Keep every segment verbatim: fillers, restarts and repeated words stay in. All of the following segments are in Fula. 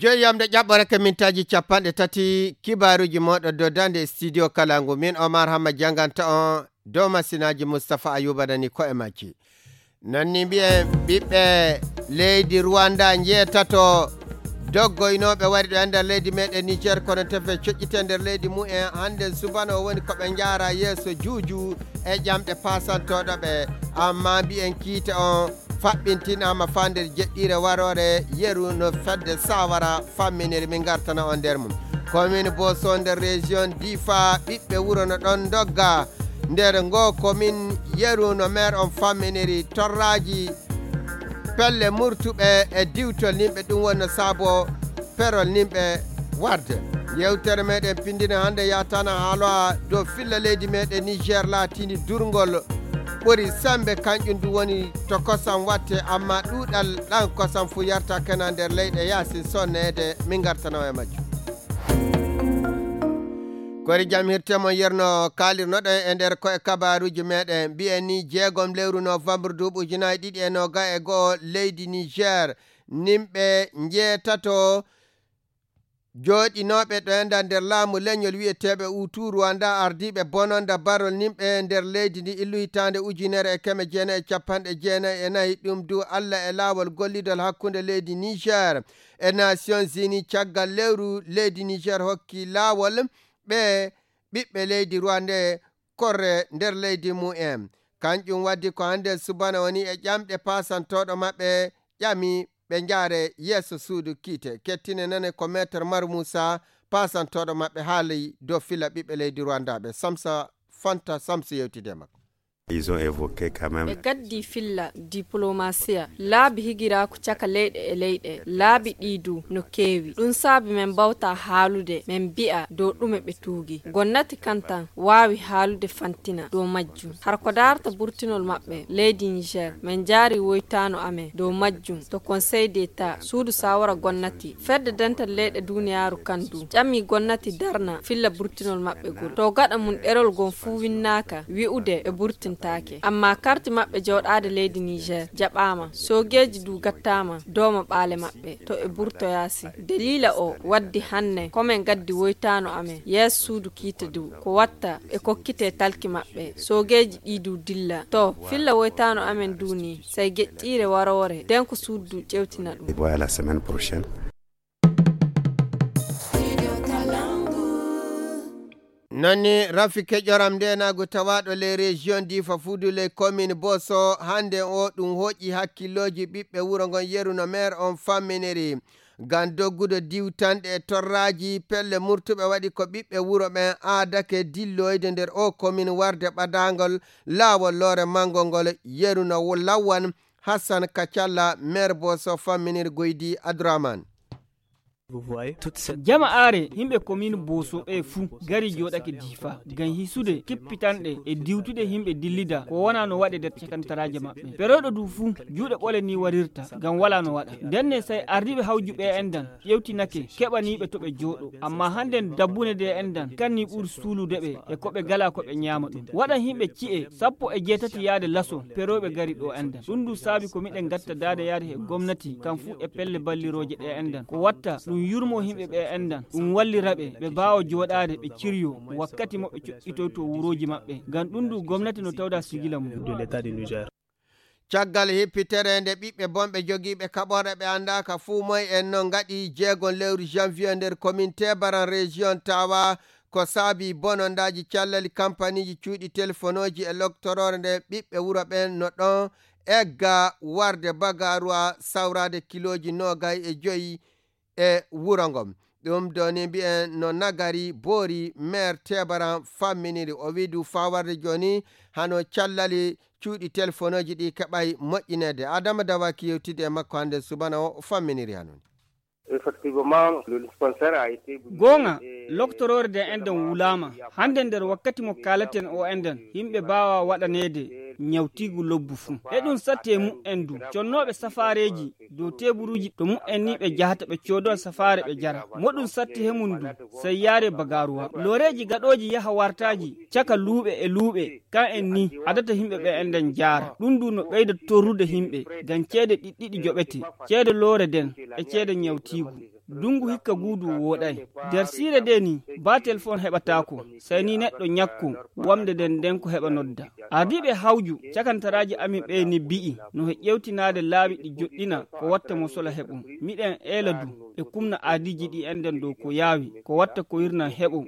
Jooni yamde ƴaɓɓore ka mintaaji capanɗe tati, kibaaruuji mooɗo dow daande e studio kala ngu. Min Omar Hamma jannganta on dow masinaaji. Mustapha Ayuba nani ko e majji. Nanni mbiyen ɓiɓɓe leydi Rwanda njeetato doggoynooɓe wari ɗo e nder leydi meɗen Niger, kono tefe coƴƴite nder leydi mumen. Hannde subano woni ko ɓe njaara yeeso juuju e ƴamɗe paasantooɗo ɓe. Amma mbiyen kiite on faɓɓintinaama faa nder jeɗɗiire waroore yeru no fedde Sawara famminiri. Min ngartana on nder mum. Komin Boso nder région Difa, ɓiɓɓe wuro no ɗon ndogga. Nder ngo komin yeru no maire on famminiri torraaji pelle murtuɓe e diwtol nimɓe, ɗum woni no saabo perol nimɓe warde. Yewtere meɗen pindina hannde yatana haaloa dow filla leydi meɗen Niger laatini durngol ɓuri sembe, kanƴum du woni to kosam watte, amma ɗuuɗal ɗan kosam fu yarta kena nder leyɗe yaasin sonneede. Min ngartana e majjum. Kori jam hirte mon yerno kaalirnoɗen e nder ko e kabaaruuji meɗen. Mbiyen ni jeegom lewru novembre duuɓi ujunaaji ɗiɗi e noga e go'o, leydi Niger, nimɓe njeetato jooɗinooɓe ɗo e nder laamu leñol wi'eteeɓe Hutu Rwanda, ardiiɓe bononda barol nimɓe nder leydi ndi illu hitaande ujunere e keme jeenayi e capanɗe jeenayi e nayi. Ɗum du Alla e laawol gollidol hakkunde leydi Niger e Nations Unies. Caggal lewru, leydi Niger hokki laawol ɓe ɓiɓɓe leydi Rwanda korre nder leydi mumen. Kanƴum waddi ko hannde subana woni e ƴamɗe paasantooɗo maɓɓe ƴami ɓe njaare yeeso suudu kiite. Kettine nane ko Maître Mar Moussa, paasantooɗo maɓɓe, haali dow fila ɓiɓɓe leydi Rwandaaɓe. Samsa Fanta Samsu yewtide e makko. Ils ont évoqué quand même. Ɓe gaddi filla diplomasiya, laabi higiraaku caka leyɗe e leyɗe, laabi ɗi du no keewi. Ɗum saabi men mbawta haalude, men mbi'a dow ɗume ɓe tuugi. Gonnati kan tan waawi haalude fantina dow majjum. Har ko daarta burtinol maɓɓe, leydi Niger, men njaari woytaano amen dow majjum to Conseil d'État, suudu saawara gonnati. Fedde dental leyɗe duniyaaru kan du ƴami gonnati darna filla burtinol maɓɓe gol. To gaɗa mum ɗerol gon fuu winnaaka wi'ude ɓe burtintaake. Amma karti maɓɓe jooɗaade leydi Niger jaɓaama. Soogeeji du gattaama dooma ɓaale maɓɓe to ɓe burtoyaa si. Daliila o waddi hanne ko men gaddi woytaano amen yeeso suudu kiite du ko watta ɓe kokkitee talki maɓɓe. Soogeeji ɗi du dilla. To filla woytaano amen du ni, sey geƴƴiire waroore, den ko suudu du ƴewtina ɗum. Voilà, semaine prochaine. Nani rafi keƴoram ndenaagu tawaaɗo les régions Difa Fuudu, les communes Boso, hannde o ɗum hoƴi hakkillooji ɓiɓɓe wuro ngon yeru no maire on famminiri. Ngam doggude diwtanɗe e torraaji, pelle murtuɓe waɗi ko ɓiɓɓe wuro ɓen aadake dilloyde nder o commune warde ɓadaangol laawol loore manngo ngol yeru no wo-, lawwan. Hassan Kacalla, maire Boso famminiri Goydi Adouraman. Jama are himɓe komin Boso ɓe fuu gari jooɗake Difa ngam hisude kippitanɗe e diwtude himɓe dillida ko wona no waɗe nder cakantaraaje maɓɓe. Perooɗo du fuu juuɗe ɓole ni warirta ngam wala no waɗa. Ndenne say ardiiɓe hawju ɓe endan ƴewtinake keɓaniiɓe to ɓe jooɗo. Amma hannden dabbune de endan kanni ɓuri suulude ɓe e ko ɓe gala ko ɓe ñaama ɗum. Waɗan himɓe ci'e sappo e jeetati yaade laso perooɓe gari ɗo endan. Ɗum du saabi ko miɗen gatta daade yaade he gomnati kam fuu e pelle ballirooje ɗe endan. Ko watta ɗum yurmo himɓe ɓe endan, ɗum wallira ɓe, ɓe baawa jooɗaade, ɓe ciryo wakkati mo ɓe coƴƴitoyto wurooji maɓɓe. Ngam ɗum du gomnati no tawda sigila mum. Caggal hippitere nde ɓiɓɓe bonɓe jogiiɓe kaɓorɗe ɓe anndaaka fuu moy en no ngaɗi jeegon lewru janvier nder commune Tebaran région Tawa, ko saabi bonondaaji callali kampaniiji cuuɗi telefonooji e loktoroore nde ɓiɓɓe wuro ɓen no ɗon egga warde bagaruwa sawraade kilooji noogay e joyi e wuro ngon. Ɗum ɗo ni mbiyen no Nagari Boori, maire Tebaran famminiri. O wi'i du faa warde jooni hano callali cuuɗi telefonooji ɗi keɓay moƴƴineede. Adama Dawaki yewtidi e makko hannde subana o, o famminiri hano ni. Effectivement, le dispensaire a été goonga, loktoroore de enɗen wulaama. Hannde nder wakkati mo kaalaten o enɗen, yimɓe mbaawa waɗaneede ñawtiigu lobbu fuu. Eɗum satti e mu'en du. Connooɓe safaareeji dow teeburuuji to mu'en ni ɓe jahata ɓe coodowa safaare ɓe jara. Moɗum satti he mum du, sey yaare bagaaruwa. Looreeji gaɗooji yaha wartaaji caka luuɓe e luuɓe, kan en ni adata yimɓe ɓe enɗen jaara. Ɗum du no ɓeyda torrude yimɓe, ngam ceede ɗiɗɗiɗi joɓete, ceede loore den e ceede ñawtiigu. Ndungu hikka guudu wooɗay. Nder siire nde ni, ba telefon heɓataako, sey ni neɗɗo ñakko, wamde nden nden ko heɓa nodda. Ardiiɓe hawju cakantaraaji amin ɓe ni bi'i, no he ƴewtinaade laawi ɗi joɗɗina ko watta mo sola heɓum. Miɗen eela du, e kumna aadiiji ɗi enɗen dow ko yaawi, ko watta ko wirnan heɓum.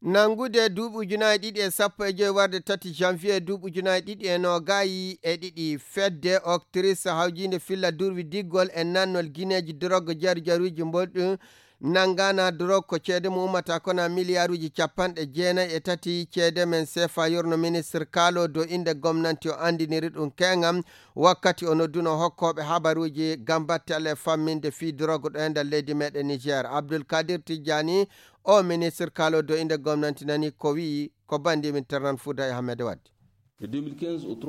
Nanngude duuɓi ujunaaji ɗiɗi e sappo e joy warde tati janvier duuɓi ujunaaji ɗiɗi e noogaayi e ɗiɗi, fedde Octris hawjiinde filla durwi diggol e nannol gineeji dorog jaru jaruuji mbolɗi nanngana dorog ko ceede mo ummata kona miliyaaruuji capanɗe jeenayi e tati ceede men sefa yorno ministre kaalo dow innde gomnanti o anndiniri ɗum keeŋam wakkati o nodduno hokkooɓe habaruuji ngam batte Allah e famminde fii dorog ɗo e nder leydi meɗen Niger. Abdul Kadir Tijjani, o ministre kaalo dow innde gomnanti nani ko wi'i ko banndi min ternan Fuuda e Ahmed Wadde.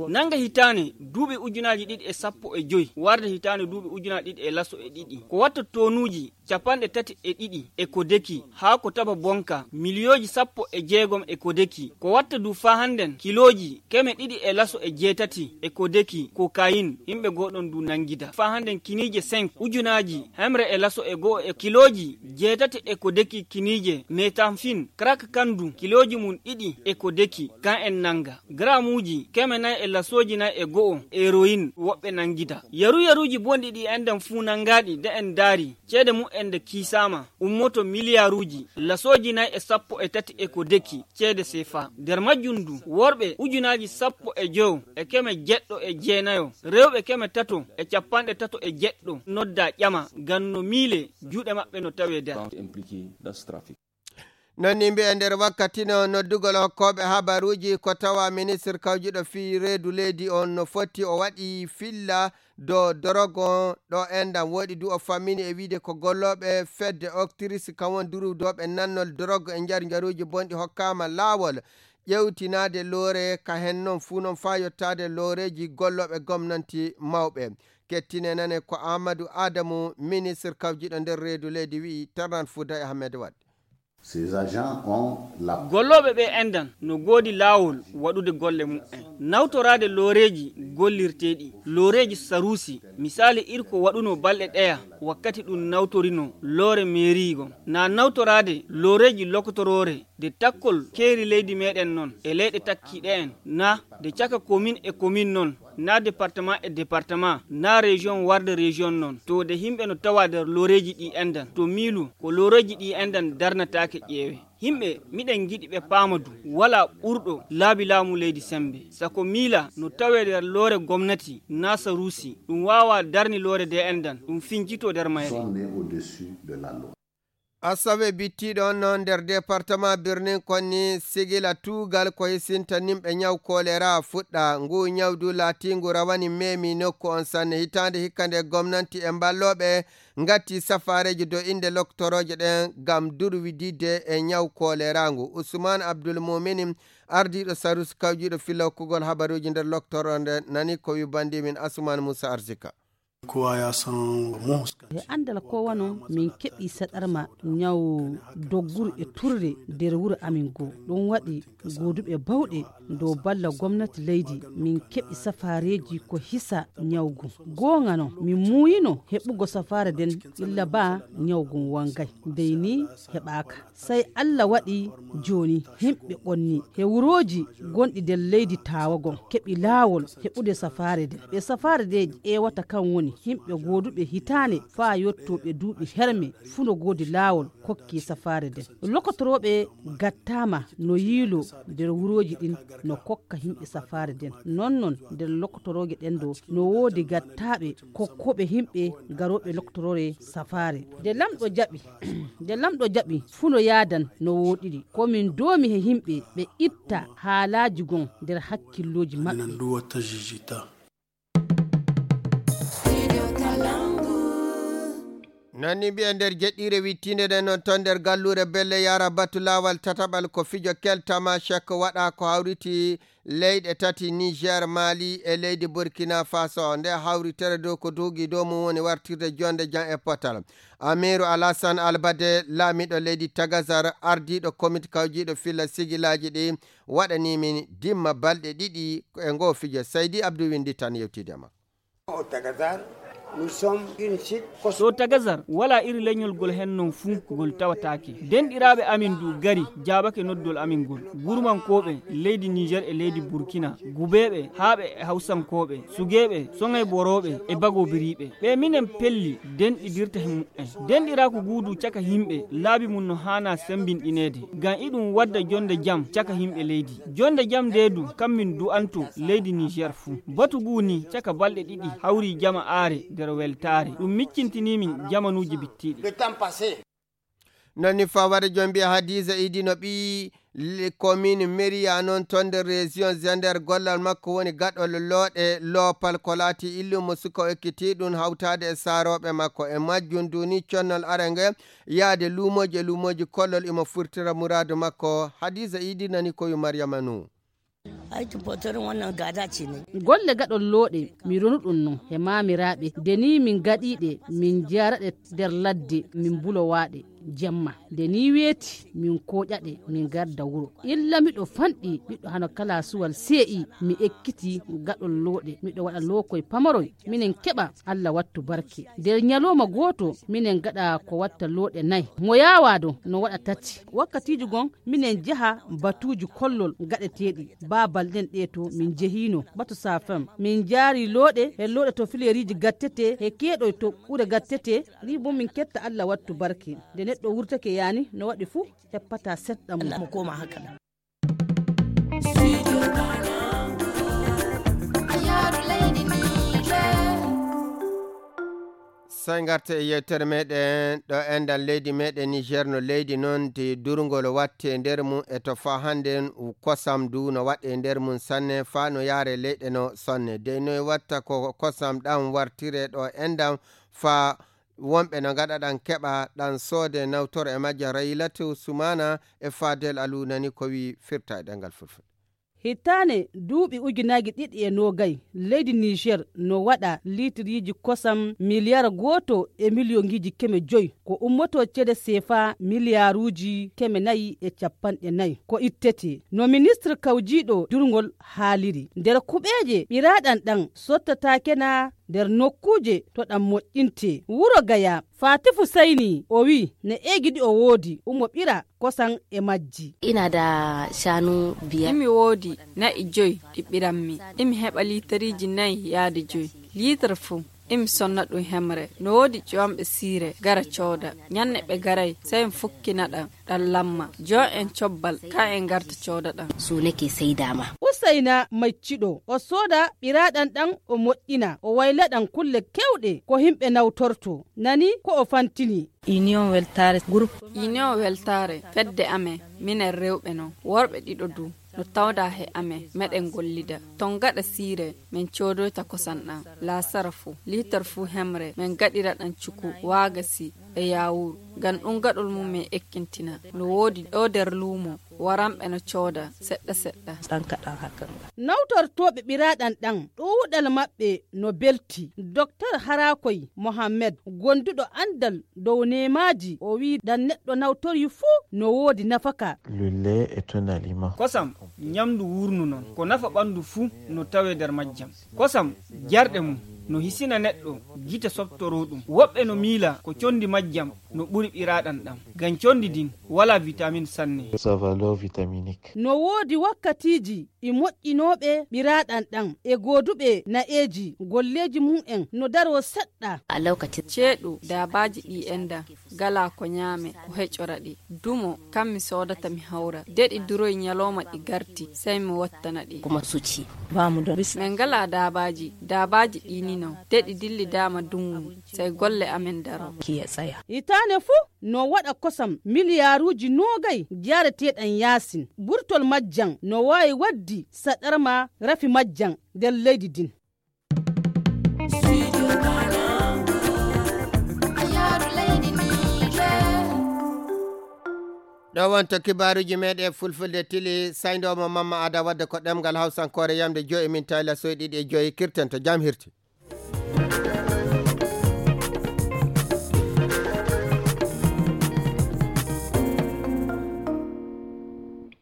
Nannga hitaane duuɓi ujunaaji ɗiɗi e sappo e joy warde hitaane duuɓi ujunaaji ɗiɗi e laso e ɗiɗi. Ko watta tonuuji capanɗe tati e ɗiɗi e ko deki haa ko taba bonka miliyooji sappo e jeegom e ko deki. Ko watta du faa hannden kilooji keme ɗiɗi e laso e jeetati e ko deki kokayin, yimɓe gooɗon du nanngida. Faa hannden kiniije cinq ujunaaji hemre e laso e go'o e kilooji jeetati e ko deki kiniije metamfin, crack kan du kilooji mum ɗiɗi e ko deki, kan en nannga. Gramuuji keme nayi e lasooji nayi e go'o eroyin woɓɓe nanngida. Yaru yaruuji bonɗi ɗi enɗen fuu nanngaaɗi de en ndaari, ceede mum en nde kiisaama, ummoto miliyaaruuji lasooji nayi e sappo e tati e ko deki ceede sefa. Nder majjum du, worɓe ujunaaji sappo e joyo e keme jeɗɗo e jeenayo, rewɓe keme tato e capanɗe tato e jeɗɗo nodda ƴama ngam no miile juuɗe maɓɓe no tawee nder. Non ni mbi'e nder wakkati no noddugol hokkooɓe habaruuji ko tawa ministre kawjuɗo fii reedu leydi on no foti o waɗi filla dow dorogo ɗo enɗam woɗi du o fammini e wiide ko gollooɓe fedde Octris kam won duruwdooɓe nannol dorogo e njar njaruuji bonɗi hokkaama laawol ƴewtinaade loore ka hen non fuu non faa yottaade looreeji gollooɓe gomnanti mawɓe. Kettine nane ko Amadou Adamou, ministre kawjiɗo nder reedu leydi wi'i Tarnan Fouda e Ahmed Wade. Gollooɓe ɓe enɗan no goodi laawol waɗude golle mumen, nawtoraade looreeji gollirteeɗi, looreeji saruusi, misaali iri ko waɗunoo balɗe ɗeya wakkati ɗum nawtorinoo loore meeriigon, na nawtoraade looreeji lokotoroore de takkol keeri leydi meɗen non e leyɗe takkiiɗe en, na de caka komin e komin non, na département e département, na région warde région non, to de yimɓe no tawa nder looreeji ɗi enɗan, to miilu ko looreeji ɗi enɗan darnataake ƴeewe. Yimɓe, miɗen ngiɗi ɓe paama du, walaa ɓurɗo laabi laamu leydi semmbe. Sako miila no tawee nder loore gomnati na saruusi, ɗum waawaa darni loore de enɗan, ɗum fincitoo nder mayre. Asawe bittiiɗo on noon nder département Birnin Konni sigila tuugal ko hisinta nimɓe ñaw kolera fuɗɗa. Ngu ñawdu laatiingu rawani meemi nokku on sanne. Hitaande hikka nde gomnanti e mballooɓe ngatti safaareeji do innde loktorooje ɗen ngam durwididde e ñaw kolera ngu. Usman Abdul Mumini, ardiiɗo sarus kawjiiɗo filla hokkugol habaruuji nder loktoro nde nani ko wi banndi min Asuman Musa Arzika. Kowa ya san muhus. E anndal ko wano min keɓi saɗarma ñaw dogguru e turre nder wuro amin goo. Ɗum waɗi gooduɓe bawɗe dow balla gomnati leydi min keɓi safaareeji ko hisa ñaw gun. Goonga non, min muuyino heɓugo safaare nden illa ba ñaw gun wangay. Dey ni heɓaaka. Sey Allah waɗi jooni yimɓe ɓonni he wurooji gonɗi nder leydi Taawa gon keɓi laawol heɓude safaare nden. Ɓe safaare nde ƴeewata kan woni yimɓe gooduɓe hitaande faa yottoo ɓe duuɓi herme fuu no goodi laawol kokki safaare nden. Lokotorooɓe gattaama no yiiloo nder wurooji ɗin no kokka yimɓe safaare nden. Non non nder lokotorooje ɗen ɗoo no woodi gattaaɓe kokkooɓe yimɓe garooɓe lokotoroore safaare. Nde Lamɗo jaɓi, nde Lamɗo jaɓi fuu no yaadan no wooɗiri. Ko min doomi he yimɓe ɓe itta haalaaji gon nder hakkillooji maɓɓe. Non ni mbi'e nder jeɗɗiire wittiinde nden non ton nder galluure Belle Yara batu laawal tataɓal ko fijo keltama chek waɗa ko hawriti leyɗe tati Niger, Mali e leydi Burkina Faso. Nde hawritere dow ko duugi dow mum woni wartirde jonde jam e potal. Amiru Alassane Albade, laamiɗo leydi Tagazar, ardiiɗo komit kawjiiɗo filla sigilaaji ɗi, waɗanii min dimma balɗe ɗiɗi e ngoo fijo. Saydi Abdou winndi tan yewtiide ma. Ɗo Tagazar, walaa iri leñol gol hen non fuu, ngol tawataake. Denɗiraaɓe amin du gari, jaabake noddol amin ngol. Gurmankooɓe leydi Niger e leydi Burkina, gubeeɓe, haaɓe e hawsankooɓe, sugeeɓe, soŋay borooɓe e bagobiriiɓe. Ɓe minen pelli, denɗidirta he mumen. Denɗiraaku guudu caka yimɓe, laabi mum no haana sembinɗineede. Ngam iɗum wadda jonde jam caka yimɓe leydi. Jonde jam nde du, kam min du'anto leydi Niger fuu. Batu ngu ni caka balɗe ɗiɗi hawri jama aare nder weltaare. Ɗum miccintini min jamanuuji bittiiɗi. Non ni fawade jom mbiya Hadiza Idi no ɓii le-, commune Mériya non ton nder région Zender gollal makko woni gaɗol looɗe loopal ko laati illumo suka o ekkiti ɗum hawtaade e saarooɓe makko. E majjum duni connol arenge yaade luumooji e luumooji kollol imo furtira muraadu makko. Hadiza Idi nani koyu Maryama Nuh. Aikin fotorin wannan gada ce ne. Golle gaɗol looɗe, mi ronu ɗum non he maamiraaɓe. Nde ni min gaɗiiɗe, min jaraɗe nder ladde, min bulowaaɗe jemma. Nde ni weeti, min kooƴaɗe, min garda wuro. Illa miɗo fanɗi, miɗo hano kala suwal see'i, mi ekkiti gaɗol looɗe. Miɗo waɗa lookoy pamaroy, minen keɓa, Allah wattu barke. Nder ñalooma gooto, minen gaɗa ko watta looɗe nay. Mo yaawa do, no waɗa tati. Wakkatiiji gon, minen jeha batuuji kollol gaɗeteeɗi. Baabal ɗen ɗe to min jehiino, batu Safem. Min jaari looɗe, he looɗe to fileeriiji gattete, he keeɗoy to ɓure gattete. Ni bo min ketta Allah wattu barke. Nde neɗɗo wurtake yaani, no waɗi fuu, heppata seɗɗa mum. Allah mo koma haka nan. Sey ngarten e yewtere meɗen ɗo enɗan leydi meɗen Niger no leydi non de durngol watte e nder mum e to faa hannden kosam du no waɗe e nder mum sanne faa no yaare leyɗe no sonne. Dey noy watta ko kosam ɗam wartire ɗo enɗan faa wonɓe no ngaɗa ɗan keɓa ɗan soode nawtoro e majja Raylatu Sumana e Fadel Alu nani ko wi firta e ɗemngal Fulfulde. Hitaane duuɓi ujunaaji ɗiɗi e noogay, leydi Niger no waɗa liitiriiji kosam miliyar gooto e miliyonŋiiji keme joy, ko ummotoo ceede seefaa miliyaaruuji keme nayi e cappanɗe nayi ko ittetee. No ministre kawjiiɗo durngol haaliri, nder kuɓeeje ɓiraaɗan ɗan sottataake na nder nokkuuje to ɗan moƴƴintee. Wuro Gaya, Fatifu Sayni, o wi'i, na eegi ɗi o woodi, umo ɓira kosan e majji. Ina da shanu biyar. Imi woodi na'i joy ɗi ɓiranmi. Imi heɓa liitariiji nayi yaade joy. Liitar fuu, imi sonna ɗum hemre. No woodi ƴoomɓe siire, gara cooda. Ñanne ɓe garay, sey mi fukkina ɗam, ɗam lamma. Jon en cobbal, ka en garta cooda ɗam. Su nake saida ma. Usayna maccuɗo, o sooda ɓiraaɗam ɗam, o moƴƴina, o wayla ɗam kulle keewɗe ko himɓe nawtorto. Nani ko o fantini. Union Weltare Group. Union Weltare, fedde amen, minen rewɓe non, worɓe ɗiɗo du, no tawda he amen, meɗen gollida. Ton gaɗa siire, min coodoyta kosan ɗan, laasara fuu, liitar fuu hemre, min gaɗira ɗan cuku, waagasi, e yaawuru. Ngam ɗum gaɗol mum min ekkintina. No woodi ɗo nder luumo, waranɓe no cooda, seɗɗa seɗɗa. Ɗan kaɗan hakan ga. Nawtortooɓe ɓiraaɗam ɗan, ɗuuɗal maɓɓe no belti. Doktor Harakoy Mohammed, gonduɗo andal dow neemaaji, o wi'i ɗan neɗɗo nawtori fuu no woodi nafaka. Lulle e tunalima. Kosam, ñamdu wuurnu non. Ko nafa ɓandu fuu no tawee nder majjam. Kosam, jarɗe mum, no hisina neɗɗo, gite soɓtoroo ɗum. Woɓɓe no miila ko condi majjam no ɓuri ɓiraaɗam ɗam. Ngam condi din, walaa vitamin sanne. Sa valeur vitaminique. No woodi wakkatiiji e moƴƴinooɓe ɓiraaɗam ɗam, e gooduɓe na'eeji, golleeji mum en no daroo seɗɗa. A lokacin. Ceeɗu, daabaaji ɗi enɗan, galaa ko ñaame, ko heƴora ɗi. Dumo, kam mi soodata mi hawra. De ɗi duroy ñalooma ɗi garti, sey mi wattana ɗi. Kuma suci. Ba mu da. Min ngalaa daabaaji, daabaaji ɗi ni non. De ɗi dillidaama dungu, sey golle amen daroo. Ki ya tsaya. Hitaane fuu, no waɗa kosam miliyaaruuji noogay jaareteeɗam yaasin. Burtol majjam no waawi waddi saɗarma rafi majjam nder leydi din. Ɗo wonto kibaaruuji meɗen Fulfulde tili, sayndoomo Mamma Ada wadde ko ɗemngal Hawsankoore yamde joyi min tayla soy ɗiɗi e joyi kirten to jam hirti.